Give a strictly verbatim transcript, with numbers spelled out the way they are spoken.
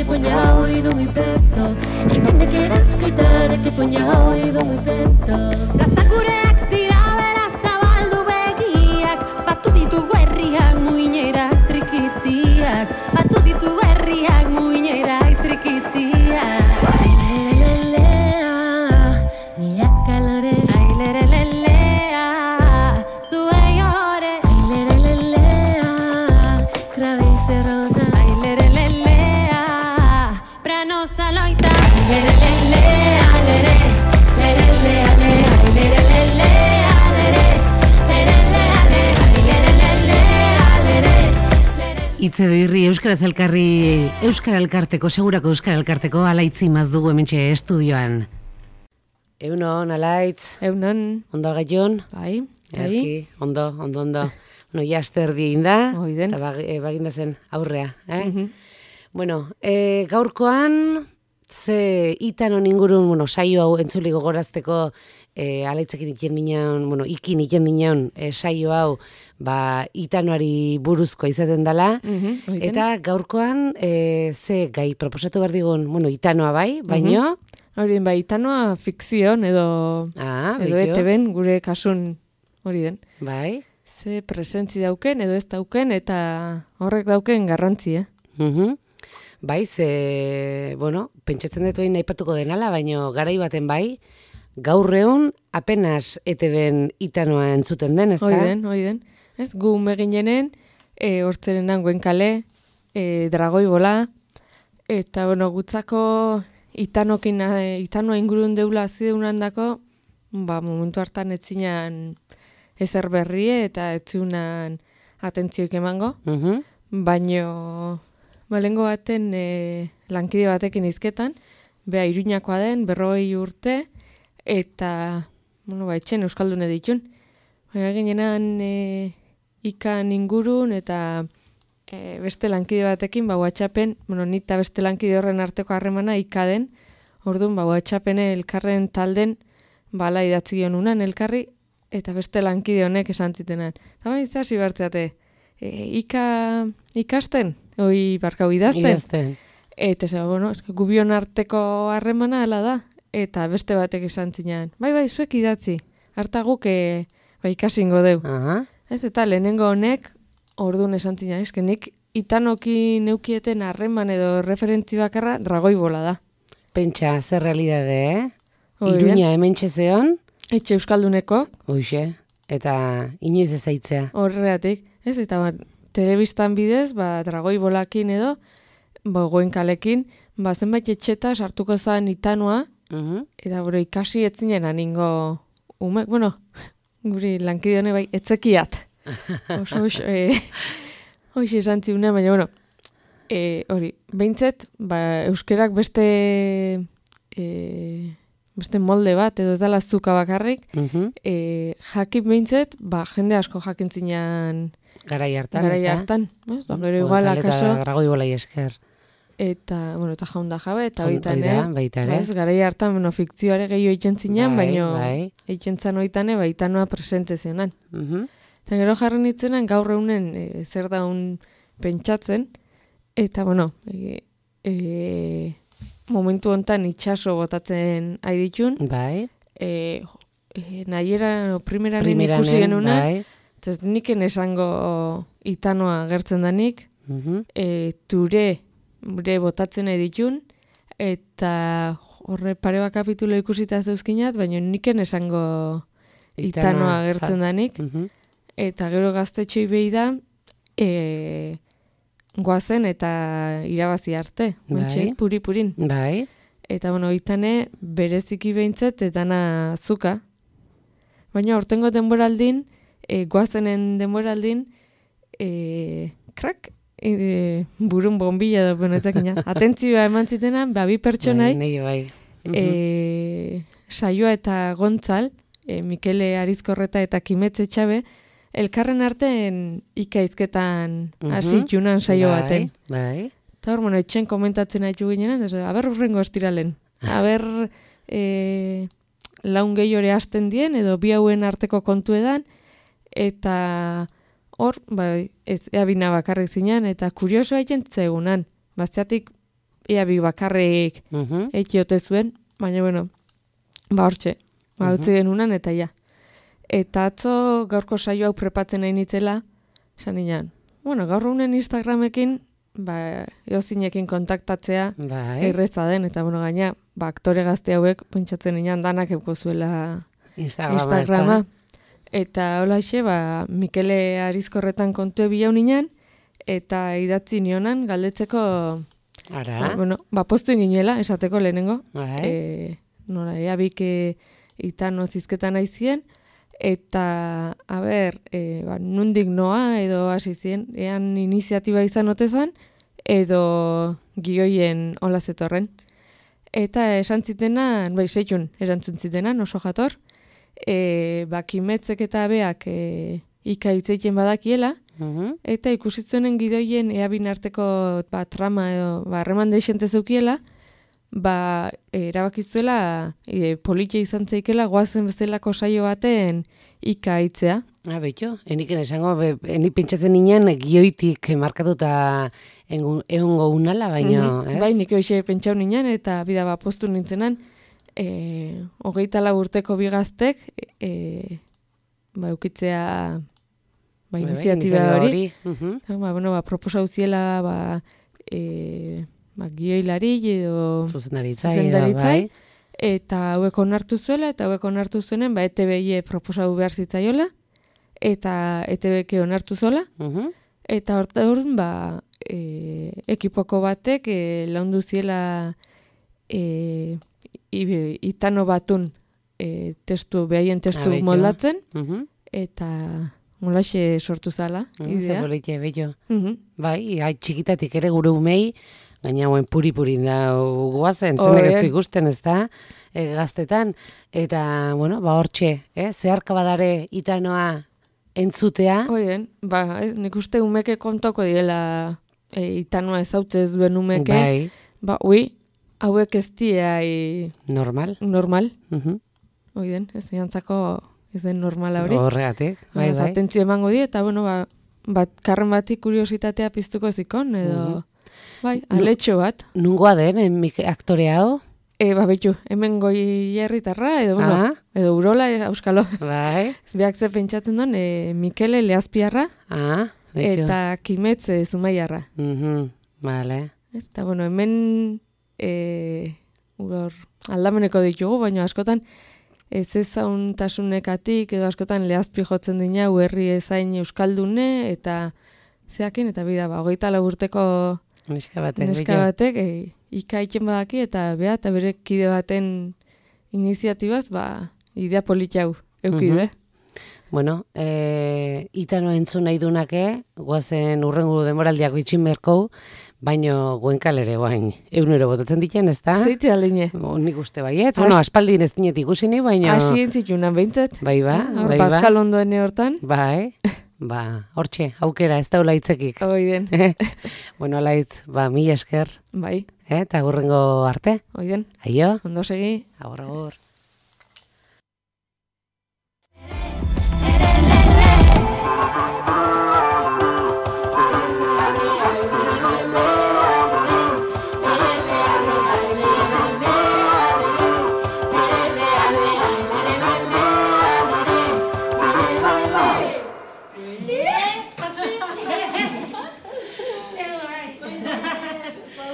que ponga oído mi peto, y donde quieras quitar que ponga oído mi peto. Brazakureak dira bera zabaldu begiak, batu ditu herriak muinerak trikitiak, batu ditu herriak muinerak trikitiak. Ailelelelea, milaka lore. Ailelelelea, zuei ore. Ailelelelea, krabize rosa. Ailelelelea, branosa loita. Ailelelelea, lere, lerelea, le. Ailelelelea, lere, lerelea, le. Ailelelelea, lere, lere. Itze doirri Euskaraz elkarri, Euskara elkarteko, segurako Euskara elkarteko alaitzi maz dugu hementxe estudioan. Eunon, alaitz, Eunon, ondo gaion? bai, bai, Erki, ondo, ondo, ondo. Bueno, ja asterdi egin da, Oiden. eta bag, e, baginda zen aurrea. Eh? Mhm. Bueno, e, gaurkoan, ze itanon ingurun, bueno, saio hau entzuli gogorazteko, e, alaitzekin iken minean, bueno, ikin iken minean, e, saio hau, ba, itanoari buruzkoa izaten dela, Mhm, oiden. eta gaurkoan, e, ze gai proposatu behar digun, bueno, itanoa bai, baino, Hori bai, itanoa fikzion edo, ah, edo beito, E T B-n gure kasun hori den. bai, Ze presentzi dauken edo ez dauken eta horrek dauken garrantzia. mhm. Bai, ze, bueno, pentsatzen dut egin aipatuko denala, baino garai baten bai, gaur egun apenas E T B-n itanoa entzuten den, ezta? Hori den, hori den. Ez, gu meginenen, e, hortzeren nangoen kale, e, dragoi bola, eta, bueno, gutzako itanokin, e, itanoa ingurun deula azideunan dako, ba, momentu hartan etzinan ezer berrie eta etziunan atentzioik emango, Mhm. baino, balengo baten e, lankide batekin izketan, beha Iruñakoa den, berrogei urte, eta, bueno, ba, etxen euskaldune ditun. Baina ginenan e, ikan ingurun eta e, beste lankide batekin, ba, WhatsAppen, bueno, nita beste lankide horren arteko harremana ikaden, orduan, ba, WhatsAppen elkarren talden, bala idatzi gionunan elkarri, eta beste lankide honek esan zitenan. Eta baina izasi bertzeate, e, ika ikasten, oi barkau idazten. Idazten. Eta ez, bueno, eske gubion arteko harremana hala da, eta beste batek esan zinean. Bai, bai, zuek idatzi, harta guk e, bai, ikasingo deu. Aha. Ez, eta lehenengo honek, orduan esan zinean, eske nik itanoki neukieten harreman edo referentzi bakarra dragoi bola da. Pentsa, zer realidade, eh? Hori da. Iruña hemen txezeon, Etxe euskalduneko, hoxe, eta inoiz ezaitzea. horreatik, ez, eta ba, telebistan bidez, ba, dragoi bolakin edo, ba, goenkalekin, ba, zenbait etxeta sartuko zen itanoa, Mhm. eta bero ikasi etzinen aningo umek, bueno, guri lankide hone bai, etzekiat. Oso, oso, e, hoxe esan ziuna, baina, bueno, e, hori, behintzet, ba, euskerak beste, e, beste molde bat, edo ez dala zuka bakarrik, Mhm. e, jakip behintzet, ba, jende asko jakintzinan Garai hartan, garai ezta? hartan. Ez? Ba, gero Bueno, igual, tal eta akaso, dragoi bolai esker. eta, bueno, eta jaunda jabe, eta Hoi oitan, da, eh? baita ere. Ba, ez, garai hartan, bueno, fikzioare gehiago eitzen zinean, Bai, baino bai. eitzen zan oitane, baitanoa presente zionan. Mhm. Eta gero jarri nitzenan gaur egunen e, zer daun pentsatzen, eta, bueno, e, e, momentu hontan itxaso botatzen aiditun, Bai. e, e, nahieran, o primeranen Primeranen, ikusi genuna, bai. eta ez niken esango itanoa gertzen danik, Mhm. e, ture, gure botatzen editun, eta horre pare bat kapitulo ikusita zeuzkinat, baina niken esango itanoa gertzen za- danik, Mhm. eta gero gaztetxoi behi da, e, goazen eta irabazi arte, ontxe, Bai. puri-purin. Bai. Eta, bueno, itane bereziki behintzet, etana zuka. Baina, hortengo denboraldin, e, goazenen denboraldin, e, krak, e, burun bombilla da, bueno, ezakina. Atentzioa eman zitenan, ba, bi pertsonai, Bai, nei bai. Mhm. e, saioa eta gontzal, e, Mikele Arizkorreta eta Kimetze Txabe, elkarren artean ikaizketan Mhm. hasi junan saio Bai, baten. Bai. Eta hor, bueno, etxen komentatzen haitu ginean, ez, aber urrengo estiralen. Aber e, laun gehiore hasten dien, edo bi hauen arteko kontu edan, eta hor, bai, ez, ea bina bakarrik zinean, eta kurioso haiten zegunan. Baziatik, ea bi bakarrik Mhm. ekiote zuen, baina bueno, ba hortxe, ba utzi genunan eta ja. Eta atzo gaurko saio hau prepatzen nahi nitzela, esan nian, bueno, gaur unen Instagramekin, ba, eozinekin kontaktatzea Bai. erreza den, eta bueno, gaina, ba, aktore gazte hauek, pentsatzen nian danak euko zuela Instagrama. Instagrama. ezta? Eta holaxe, ba, Mikele Arizkorretan kontu ebilau ninan, eta idatzi nionan galdetzeko, Ara. ba, bueno, ba, postu inginela, esateko lehenengo, Bai. e, nora, ea bike itano zizketan aizien, eta, a ber, e, ba, nundik noa edo hasi zien, ean iniziatiba izan otezan, edo gioien hola zetorren. Eta esan zitenan, bai, seitun, erantzun zitenan, oso jator, e, ba, kimetzek eta beak e, ika hitzeiten badakiela, Mhm. eta ikusi zuenen gidoien eabin arteko ba, trama edo ba, harreman deixente zeukiela, ba, erabakizuela e, politia izan zeikela goazen bezalako saio baten ika hitzea. Ah, beito, eniken esango, be, enik pentsatzen ninen gioitik markatuta engu- egongo unala, baina, Mhm. ez? Bai, nik hoxe pentsau ninen, eta bida ba, postu nintzenan, e, hogeita lau urteko bigaztek, e, ba, eukitzea ba, Bai, bai, iniziatiba hori. Mhm. Ba, bueno, ba, proposa uziela, ba, e, ba, gioilari edo Zuzendaritza, Zuzendaritza, bai. eta hauek onartu zuela, eta hauek onartu zuenen, ba, E T B proposau behar zitzaiola, eta E T B onartu zola, Mhm. eta horta horren, ba, e, ekipoko batek e, laundu ziela e, i- itano batun e, testu, behaien testu Ah, betxo. moldatzen, Mhm. eta molaxe sortu zala, idea. Zapolitxe, beito. Mhm. Bai, ai, txikitatik ere gure umei, gaina hauen puri-purin da guazen, Oh, zenek ez eh. du ikusten, ez da, e, gaztetan. Eta, bueno, ba, hortxe, eh? zeharka badare itanoa entzutea, Oien, ba, eh, nik uste umeke kontoko diela e, itanua ezautze ez duen umeke, bai, ba, ui, hauek ez diai normal. normal, Mhm. oiden, ez egantzako ez den normala hori. Horregatik, bai, bai. Atentzio emango die, eta bueno, ba, bat, karren batik kuriositatea piztuko zikon, edo, Mhm. bai, aletxo bat. Nungoa den, emik aktore hau? E, ba, betxu, hemen goi herritarra, edo, bueno, Ah, edo urola, e, auskalo. bai. Beak ze pentsatzen duen, e, Mikele Lehazpiarra, Ah, betxo. eta Kimetze Zumaiarra. Mhm, vale. Eta, bueno, hemen e, hor aldameneko ditugu, baina askotan ez ezauntasunek,atik edo askotan lehazpi jotzen dina herri ezain euskaldune eta zeakin, eta bida, ba, hogeita lau urteko Neska batek, neska betxo. batek e, ikaitzen badaki eta bea eta bere kide baten iniziatibaz, ba, idea politxau eukide. Mhm. Bueno, e, itano entzun nahi dunake, guazen urrengu demoraldiako itxin berkou, baino guenkal ere guain eunero botatzen ditzen, ez da? Zeitze aldine. Bo, nik uste baiet, bueno, aspaldin ez dinet ikusini, baino... Hasi entzitunan behintzat. Bai ba, Hor, bai ba. Pascal ondoene hortan. Bai, ba, hortxe, aukera, ez daula hitzekik. Oiden, Bueno, alaitz, ba, mila esker, bai, eh, eta gurrengo arte. oiden, Aio, ondo segi. agur, agur.